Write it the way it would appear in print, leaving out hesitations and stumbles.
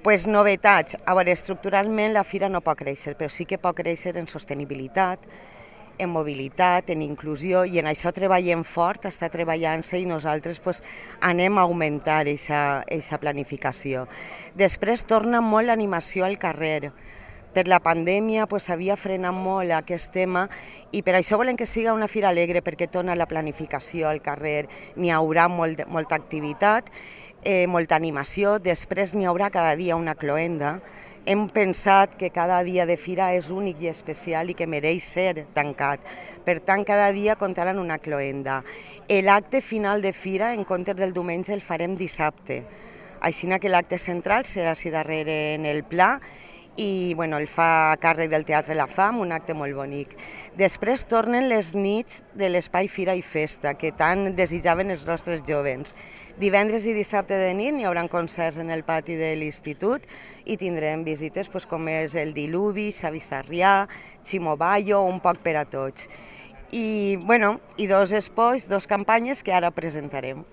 Pues novetats. A veure, estructuralment la fira no pot créixer, però sí que pot créixer en sostenibilitat, en mobilitat, en inclusió, i en això treballem fort, està treballant-se i nosaltres pues, anem a augmentar aquesta planificació. Després torna molt l'animació al carrer. Per la pandèmia s'havia frenat molt aquest tema i per això volem que siga una fira alegre, perquè torna la planificació al carrer, n'hi haurà molta activitat, molta animació, després n'hi haurà cada dia una cloenda. Hem pensat que cada dia de fira és únic i especial i que mereix ser tancat. Per tant, cada dia comptaran una cloenda. L'acte final de fira, en comptes del diumenge, el farem dissabte. Així que l'acte central serà així darrere en el pla i el fa a càrrec del Teatre La Fam, un acte molt bonic. Després tornen les nits de l'Espai Fira i Festa, que tant desitjaven els nostres jovens. Divendres i dissabte de nit hi haurà concerts en el pati de l'institut i tindrem visites com és el Diluvi, Xavi Sarrià, Ximo Bayo, un poc per a tots. I dos espais, dos campanyes que ara presentarem.